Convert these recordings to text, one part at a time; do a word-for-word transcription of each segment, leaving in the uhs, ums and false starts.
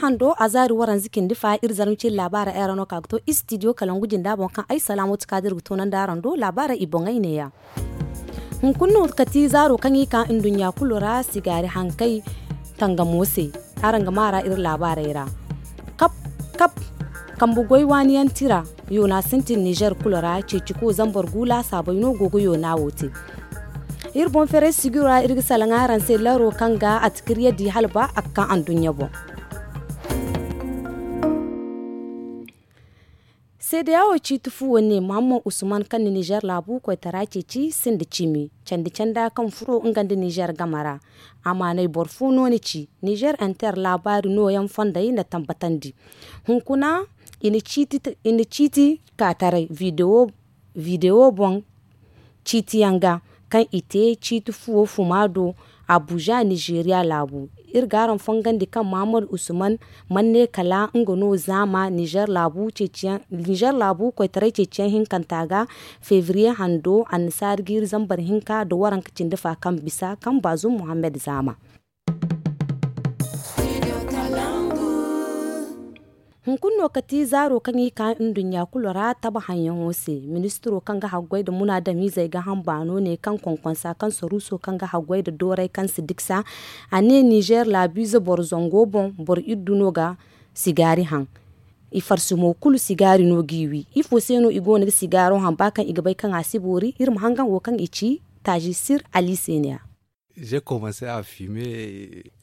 Hando a zaari waranza cindi fa iri zarma ciri laabaara ay ra no ka ga to istidiyo kalangu jinda boŋ kaŋ ay salaamo ti ka da iri ga toonandi araŋ do laabaara i boŋey neeya. Hunkuna no kati zaaro kaŋ i ka nduɲɲa kulu ra sigaari hankey tangamo se. Araŋ ga maara iri laabaarey ra kap kap kambe goy waaniyaŋ tira yoona sintin nizer kulu ra ceeciko zambar gu laasaabey no go ga yoona wo te. Iri boŋ ferey sijiro ra iri ga salaŋ araŋ se laro kaŋ ga a tikirya di hala ba a ga ka anduɲɲa boŋ. Seedeya wo ciiti fu wane muhammad usman kaŋ na nizer laabu koytara ceeci sinda cimi candi canda kaŋ furo nga nda nizer game ra. Amaanay boro fo no ni ci nizer inter laabaari nooyaŋ fondey na tambatandi. Hunkuna i na ciiti ka taray videwo boŋ ciitiyaŋ ga kaŋ i te ciiti fuwo fuma do abuja nizeeriya laabu. Iri ga araŋ fongandi kaŋ mahamadu usman manne kala nga no zaama nizer laabu koytaray ceeciyaŋ hinkanta ga febriye hando annasaari jiiri zambar hinka nda waranka cindi fa kaŋ bisa kaŋ baazum muhammad zaama. Hunkuna no kati zaaro kaŋ i ka nduɲɲa kulu ra taba haŋyaŋo se. Ministiro kaŋ ga haggoy nda munaadamizey ga haŋ baano ne kaŋ konkonsa kaŋ saruuso kaŋ ga haggoy nda dooray kaŋ si diksa a ne nizer laabiize boro zango boŋ boro iddu no ga sigaari haŋ. I farsi mo kulu sigaari no g'i wi ifo se no i go no ga sigaaro haŋ ba kaŋ i ga bay kaŋ a si boori iri ma hangan wo kaŋ i ci taazi sir ali se ne ya.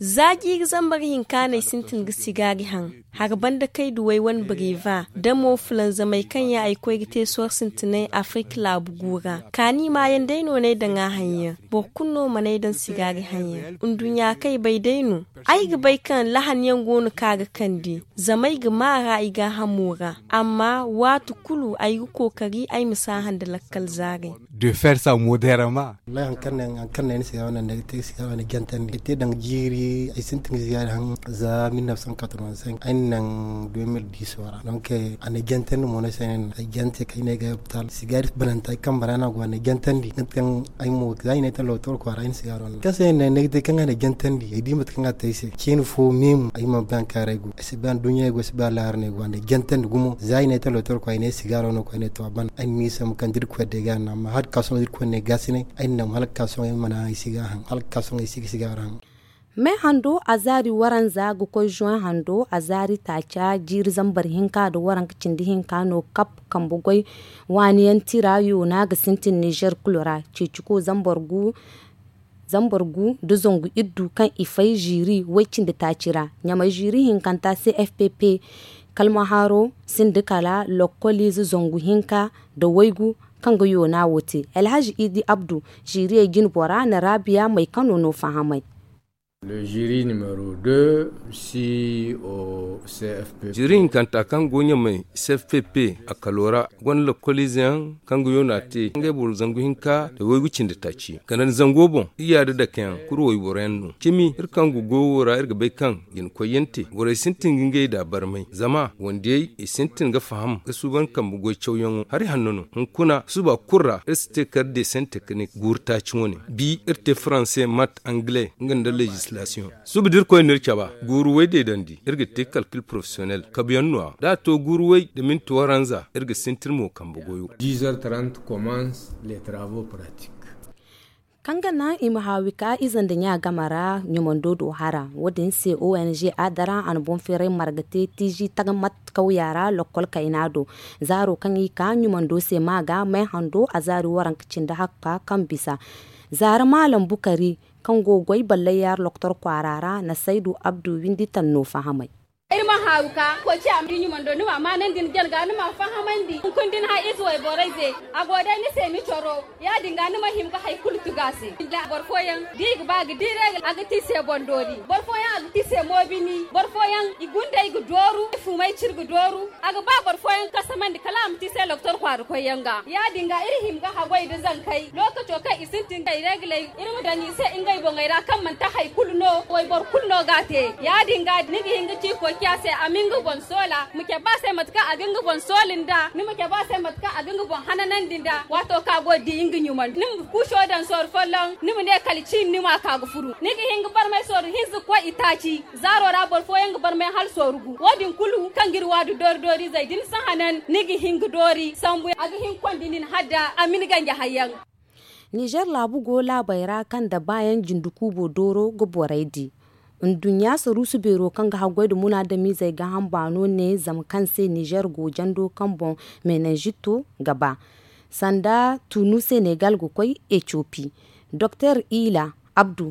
Za jiiri zambar hinka no ay sintin ga sigaari haŋ. Hari banda kayduwey wane breva da mo fulanzamey kaŋ yaŋ ay koy ga te sohõ sintinay afirka laabu gu ra kaani maayaŋ day no n'ay daŋ a haŋ yaŋ. Boro kulu no mana ay daŋ sigaari haŋ yaŋ nduɲɲa kaŋ ay bay day no. Ay ga bay kaŋ lahan yaŋ go no kaŋ a ga kande zama ay ga ma a ra ay gaahamo ra. Amma waati kulu ay ga kookari ay ma si a haŋ nda lakkal zaarey. De fer sa moderama. Wallahi hari kaŋ no ay na sigaari wane daŋ ay te sigaari wane jantandi ay te daŋ jiiri ay sintin ga sigaari haŋ. Za mil nef san katorban senk ay na naŋ de mil dis wo ra donk a na ay jantandi mo no ay se no ay jante kay no ay ga ay hopitaal sigaari bananta ay kambe ra no a go a na ay jantandi mate kaŋ ay mo za i na ay te lokotor kwaara ay na sigaari wane kaŋ se ay na ay na ay te kaŋ a na ay jantandi ay di mate kaŋ a te ay se ceeni fo meemu ay mana bay hari kaŋ ra ay go ay si bay anduɲɲa ay go ay si bay alaahara no ay go a na ay jantandi gumo za i na ay te lokotor kwaara ay ne sigaaro no koy ne to a ban ay na ni sambu kaŋ da irkoy day ga a naŋ amma hala ga ka sohõ da irkoy ne gaasinay ay na naŋ hala ga ka sohõ ay mana ay si ga a haŋ hala ga ka sohõ ay si ga sigaaro haŋ. Me hando azaari waranza ga koy zoŋ hando azaari taaca jiiri zambar hinka nda waranka cindi hinka no kap kambe goy waani yaŋ tira yoona ga sintin nizer kulu ra ceeciko zambar gu nda zangu iddu kaŋ i fay ziiri way cindi taaci ra ɲamay ziiri hinkanta cfpp kalmahaaro sinda kala lokkoliize zangu hinka nda waygu kaŋ ga yoona wo te alhazi idi abdu ziiriyey jinbora na raabiya maykano no fahamay. Ziiri hinkanta kaŋ go ɲamay cfpp a kalo ra gonda lokkoliize yaŋ kaŋ ga yoona te ngey boro zangu hinka nda waygu cindi taaci ganda nda zango boŋ iri yaada dakeyaŋ kuru wayboro yaŋ no cimi iri kaŋ go goyo wo ra iri ga bay kaŋ jina koyyaŋ te borey sintin ga ngey da barmay zama wandiyey i sintin ga faham ga suuban kambe goy cawyaŋo hari hanno no hunkuna suba kulu ra iri si te kala dessin teknik guuru taaci wane bi iri te faranse mat angle nga nda lezislasiyoŋ suba da irkoy no iri caba guuru way deedandi iri ga te kalkil porofesiyonel kabuyaŋ no- ya da a to guuru way nda minti waranza iri ga sintin mo kambe goyo. Kaŋ ga naŋ i ma haawi ka ize nda ɲa game ra ɲumando do hara wo- din se ong a dara a na boŋ feeray marga te tiizi tagamat kawya ra lokkol kayna do zaaro kaŋ i ka ɲumando se ma ga may hando a zaari waranka cindi hakka kaŋ bisa zaara maalam bukari kaŋ go ga goy ballay yaara lokotor kwaara ra na saydu abdu windi tanno fahamay. Iri ma haaru ka koy ciya ma di ɲumando ni ma maanandi ni janga ni ma fahamandi hunkuna da ni hay ize wayborey ze a go day ni se ni coro ya- din ga ni ma hima ga hari kulu tugu a se. Boro fooyaŋ da i ga ba ga di reegal a ga te i se boŋ doori boro fooyaŋ a ga te i se moobini boro fooyaŋ i gundey ga dooru i fumay ciri ga dooru a ga ba boro fooyaŋ kasamandi kala a ma te i se lokotor kwaara koyyaŋ ga ya- din ga iri hima ga haggoy nda zankey lookaco kaŋ i sintin ga i reegaley iri ma daŋ i se ngey boŋey ra kaŋ manti hari kulu no wayboro kulu no ga a te ya- din ga ni ga hin ga ci koy. Ya se a ma nga boŋ soola ma cabe a se mate kaŋ a ga nga boŋ sooli nd'a ni ma cabe a se mate kaŋ a ga nga boŋ hananandi nd'a waato kaŋ a go ga di nga ɲuman ni ma kuuso daŋ sorro folloŋ ni ma ne kala ciini ni m'a ka ga furu ni ga hin ga barmay sorro hinza ga koy itaaci zaaro ra boro fooyaŋ ga barmay hala sorro gu wo- din kulu kaŋ ga iri waadu doori doori izey da ni si hanan ni ga hin ga doori sambu a ga hin ga konda nin hala da a ma ni ganja hayyaŋ. Nizer laabu go laabey ra kaŋ nda baayaŋ jinde kuubo dooro ga borey di. Nduɲɲa saruusu beero kaŋ ga haggoy nda munaadamizey gaaham baano ne zama kaŋ se nizer go jando kaŋ boŋ menenjito ga ba sanda tunu senegal ga koy etiyopi. Doktor ila abdu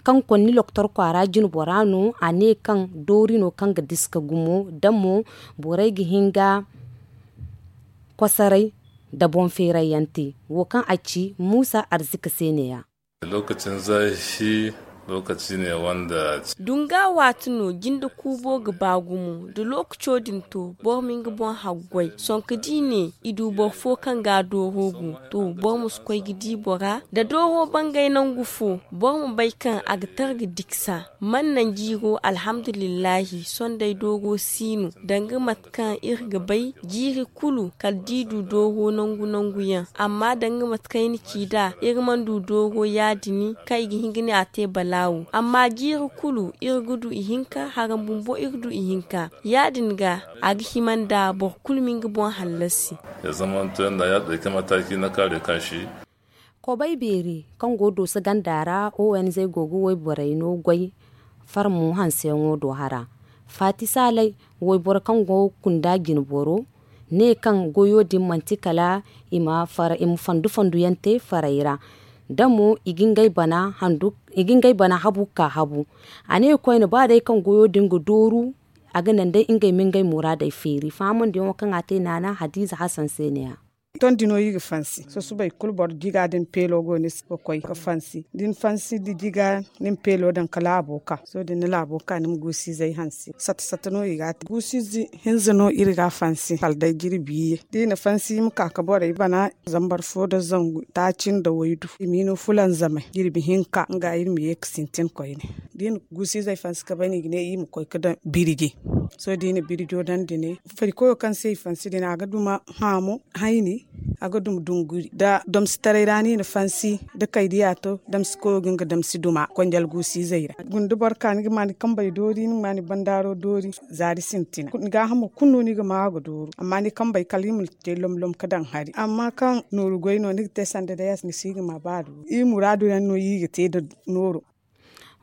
kaŋ konni loktor kwaara jinbora no a ne kaŋ doori no kaŋ ga diska gumo da mo borey ga hin ga kosoray nda boŋ feerayyaŋ te. Wo kaŋ a ci muusa arzika se neeya. Lookacin zaahi lokaci ne wanda. Dunga waati no jinde kuubo ga ba gumo da lookaco din to boro ma nga boŋ haggoy sonka da i ne i du boro fo kaŋ ga a dooro gu to boro ma si koy ga di bora da dooro bangay nangu fo boro ma bay kaŋ a ga tara ga diksa man naŋ jiiro alhamdulillahi sonday dooro si no danga mate kaŋ iri ga bay jiiri kulu kala da i du dooro nangu nangu yaŋ amma danga mate kaŋ ay na ci nd'a iri mana du dooro ya- din kaŋ i ga hin ga ne a te balaawo amma jiiri kulu iri ga du ihinka haram bumbo iri du ihinka ya- din ga a ga hima nda boro kulu ma nga boŋ hallasi. Ya zamanto yanda ya ɗauki mataki na kare kanshi. Kobay beeri kaŋ go dooso ganda ra onz go ga wayborey no goy farmo hanseyaŋo do hara faati saalay wayboro kaŋ go kunda jinboro ne kaŋ goyo din manti kala i ma fandu fandu yaŋ te farey ra da mo i ga ngey bana habu ga ka habu. A ne koyne ba day kaŋ goyo din ga dooru a ga naŋ day ngey ma ngey muraadey feeri fahamandiyaŋo kaŋ a te naana hadiiza hasan se ne- ya. Tondi no iri ga fansi susubay kulu boro jiga din peelo go ni se ga koy ga fansi da ni fansi da jiga ni ma peelo daŋ ka laabo ka sohõ da ni na laabo ka ni ma guusu izey hanse sata sata no i ga a te guusu ize hinza no iri ga a fansi kala day jirbi iyye da i na fansi i ma ka ga borey bana zambar fo nda zangu taaci nda waydu i ma i no fulanzamay jirbi hinka nga iri ma ye ga sintin koyne da i na guusu izey fansi ga bay no i ga ne iri ma koy ga daŋ birji. Sohõ da i na birjo daŋ dine fari koyo kaŋ se i fansi dine a ga duma haamo hayni a ga duma dunguri nda domsitaray ra no i na fansi nda kaydiya to damsi koyo ga nga damsi duma konjal guusu izey ra guna da boro ka ni ga ma ni kambey doori ni ga ma ni bandaaro doori zaari sintina ni gaahamo kulu no ni ga ma a ga dooru amma ni kambey kala i ma te lomlom ga daŋ hari amma kaŋ nooru goy no ni ga te sanda day a si ni si ga ma ba a dooru i muraadu yaŋ no i ga te nda nooro.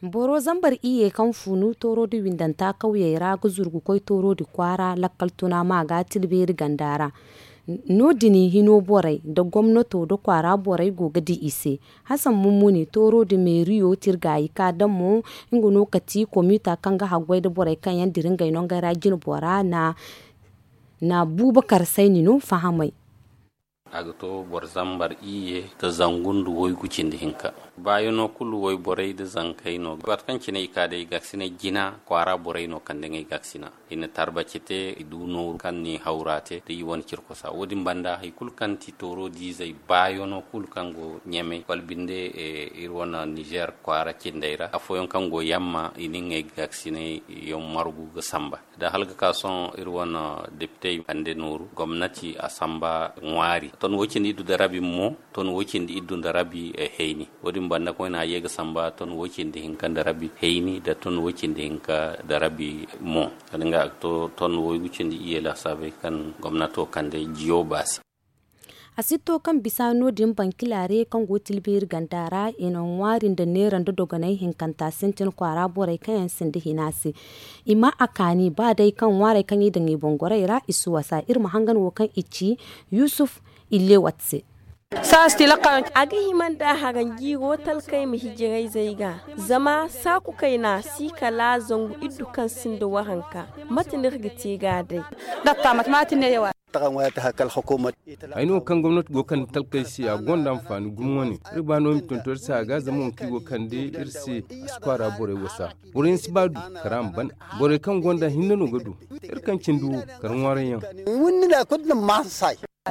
Boro zambar iyye kaŋ funu tooro da windanta kawyey ra ga zuru ga koy tooro da kwaara lakkal tuna ma ga tilbeeri ganda ra. No- din hino borey nda gomnato nda kwaara borey go ga di i se. Hasan mummuni tooro da meeriyo tirgaayi ka daŋ mo nga no kati komiita kaŋ ga haggoy nda borey kaŋ yaŋ dira ngey nongey ra jinbora na buubakar sayni no fahamay. A ga to boro zambar iyye nda zangu nda waygu cindi hinka. Baayano kulu wayborey nda zankey no waati kaŋ cine i ka day i gaasinay jina kwaara borey no kande ngey gaasina i na tarbaci te i du nooru kaŋ ni hawra te nda i wane cirkosa wo- din banda hari kulu kaŋ ti tooro diizey baayano kulu kaŋ go ɲamey wala binde iri wane nizer kwaara cindey ra afooyaŋ kaŋ go yamma i na ngey gaasinay yaŋ margu ga samba. Da hala ga ka sohõ iri wane depitey kande nooru gomnati a samba ŋwaari ton wo- cindi iddu nda rabi mo ton wo- cindi iddu nda rabi hayni. Wo- din banda koyne a ye ga samba ton wo- cindi hinka nda rabi hayni nda ton wo- cindi hinka nda rabi mo. Kala nga a ga to ton waygu cindi iyye laasaabey kaŋ gomnato kande jiyo baasi. A si to kaŋ bisa no- din bankilaare kaŋ go tilbeeri ganda ra i na ŋwaari nda neera nda dogonay hinkanta sintin kwaara borey kaŋ yaŋ sinda hina se. I ma a kaani ba day kaŋ ŋwaarey kaŋ i daŋ i boŋ gorey ra i si wasa iri ma hangan wo kaŋ i ci yusuf illewat se. A ga hima nda haranjiiro talkey ma hijirayzey ga zama saaku kayna si kala zangu iddu kaŋ sinda waranka. Mate no iri ga te ga a day? Ay no kaŋ gomnati go kande talkey se a gonda anfaani gumo wane. Iri ba no i ma tonton iri se a ga zama wo kaŋ i go kande iri se a si kwaara borey wasa. Boroyaŋ si ba du kara ma ban. Borey kaŋ gonda hinne no ga du. Iri kaŋ cindi wo kara ŋwaarayyaŋ.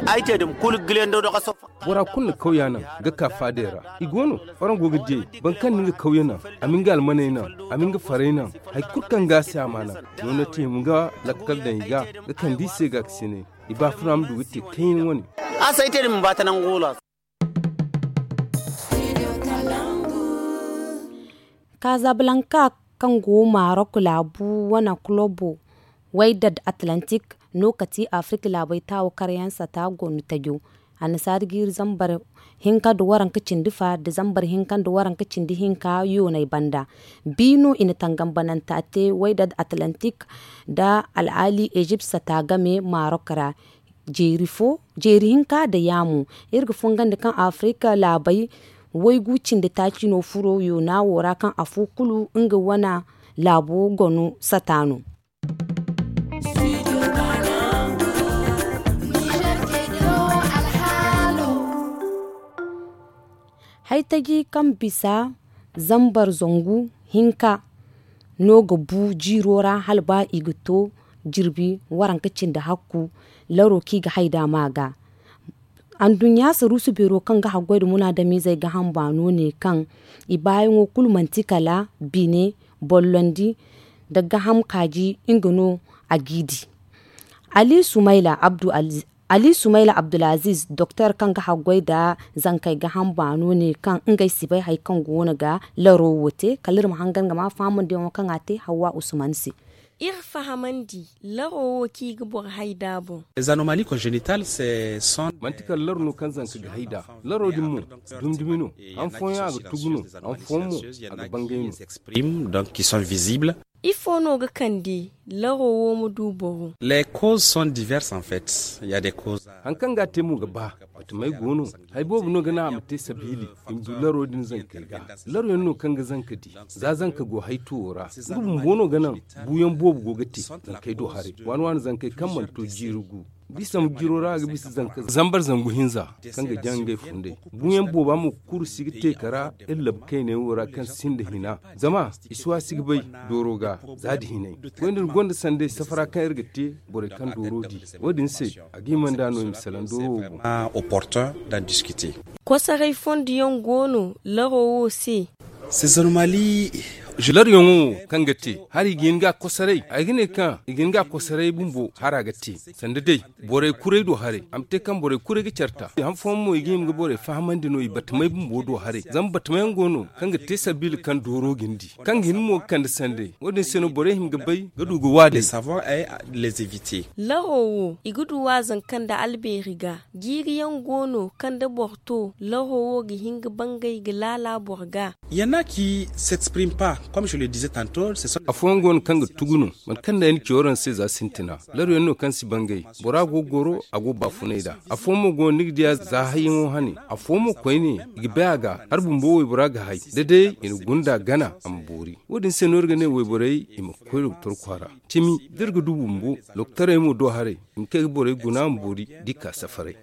Ay te dum kulu gilendo dogo sofa. Bora kulu na kawya naŋ ga ka faadey ra. I go no, waraŋ go ga diyey. Boro kaŋ na nga kawya naŋ, a ma nga almaney naŋ, a ma nga farey naŋ. Hari kulu kaŋ ga a se a ma a naŋ. Noona te i ma nga lakkal daŋ i ga ga kande i se ga ga sine. I ba funa ma du ga te kayna wane. A say te dum ba ta naŋ gula. Kazablanka, kaŋ go Marok laabu wane kulobo, waydad atlantik no ka ti Afirka laabey taawo karyaŋ sata gonu tajo. Annasaari jiiri zambar hinka nda waranka cindi fa nda zambar hinka nda waranka cindi hinka yoonay banda. Bi no i na tangambananta te waydad atlantik nda al'ali ejipt sata game Marok ra. Jeeri fo, jeeri hinka nda yaamu. Iri ga fongandi kaŋ Afirka laabey waygu cindi taaci no furo yoona wo ra kaŋ afo kulu nga wane laabo gonu sata no. Haytaji kaŋ bisa zambar zangu hinka no ga bu jiiro ra hala ba i ga to jirbi waranka cindi hakku laro kaŋ i ga hayda ma ga. Anduɲɲa saruusu beero kaŋ ga haggoy nda munaadamizey ga hamba no ne kaŋ i baayaŋo kulu manti kala bine bollondi nda gaham kaaji nga no a g'i di. Ali sumayla abdu Ali sumayla abdulaziz doktor kaŋ ga haggoy nda zankey gaham baano ne kaŋ ngey si bay hari kaŋ go no ga laro wo te kala iri ma hangan ga ma fahamandiyaŋo kaŋ a te hawwa usman se. Iri fahamandi laro wo kaŋ i ga boro hay nd'a boŋ. Manti kala laro no kaŋ zanka ga hay nd'a. Laro din mo dumi-dumi no. Han fooyaŋ a ga tugu no. Han fooyaŋ mo a ga bangay no. Donc qui sont visibles. Ifo no ga kande laro wo ma du boro? Haŋ kaŋ ga a te mo ga ba. Batamey go no. Hari boobo no ga naŋ a ma te sabiili i ma du laro din zankey ga. Laro yaŋ no kaŋ ga zanka di za zanka go haytuwo ra. Nga bumbo no ga naŋ buuyaŋ boobo go ga te zankey do haray waani waani zankey kaŋ mana to jiiri gu. Bisa ma jiro ra a ga bisa zanka zambar zangu hinza kaŋ ga jaŋ ngey fundey. Buuyaŋ booba mo kuru si ga te kara iri labu kayney wo ra kaŋ sinda hina. Zama i si waasi ga bay dooro ga za da hinay. Goy nda iri gonda sanday safara kaŋ iri ga te borey kaŋ dooro di. Wo- din se a ga hima nd'a no i ma salaŋ dooro wo boŋ. Kosaray fondo yaŋ go no laro wo se. Laro yaŋo wo kaŋ ga te hari i ga hin ga a kosaray ay ga ne kaŋ i ga hin ga a kosaray bumbo hara ga te. Sanda day borey kuray do haray a ma te kaŋ borey kuray ga care ta han fooyaŋ mo i ga hima ga borey fahamandi no i batamay bumbo do haray zama batamayaŋ go no kaŋ ga te sabiila kaŋ dooro ga ni di kaŋ ga hin mo ga kande sanday wo- din se no borey hima ga bay ga du ga waadey. Laro wo i ga du waazanka nda albeeri ga jiiri yaŋ go no kaŋ da boro to laro wo ga hin ga bangay ga laala boro ga. Afooyaŋ go no kaŋ ga tugu no mate kaŋ day ni ci waraŋ se za sintina laro yaŋ no kaŋ si bangay bora go ga goro a go ga baafunay nd'a. Afooyaŋ mo go no ni ga di a za hayyaŋo hane. Afooyaŋ mo koyne i ga bay a ga hari bumbo waybora ga hay da day i na gunda gana a ma boori. Wo- din se no iri ga ne wayborey i ma koy doktor kwaara cimi da iri ga du bumbo doktorey mo do haray i ma kay ga borey guna ma boori da i ka safaray.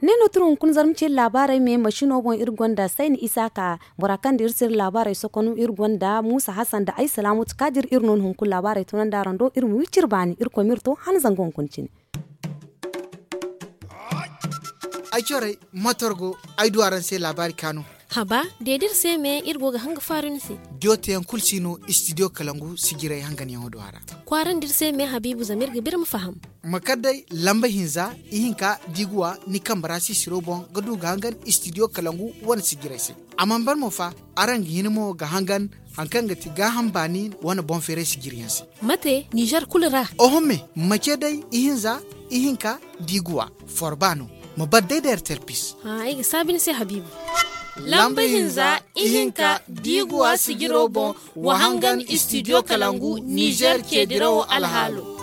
Ne no tun hunkuna zarma ce laabaarey me masino boŋ iri gonda sayni isaaka bora kaŋ da iri siri laabaarey sokonu iri gonda muusa hasan da ay salaamatu kaadir iri no ni hunkuna laabaarey tunandi araŋ do iri ma wi ciri baani iri koy ma iri to han zangu hunkuna cine. Ay corey motor go ay du araŋ se laabaari kaanu. Haba deedi iri se me iri go ga hanga faaru ni se. Diyo teyaŋ kulu si no istidiyo kalangu sijirey hanganyaŋo do a ra. Kwaarandi iri se me habiibu zama iri ga ba iri ma faham. Ma kar day lamba hinza ihinka diiguwa ni kambe ra sisiro boŋ ga du ga hangan istidiyo kalangu wane sijirey se. A mana ban mo fa araŋ ga hin mo ga hangan hari kaŋ ga ti gaaham baani wane boŋ feeray sijiriyaŋ se. Mate nizer kulu ra. Oho me ma ce day ihinza ihinka diiguwa forba no. Ma bar day da ertel pis. Ay ga saabi ni se habiibu. Lamba hinza ihinka diiguwa sijiro boŋ wa hangan istidiyo kalangu nizer ceedirawo alhaalo.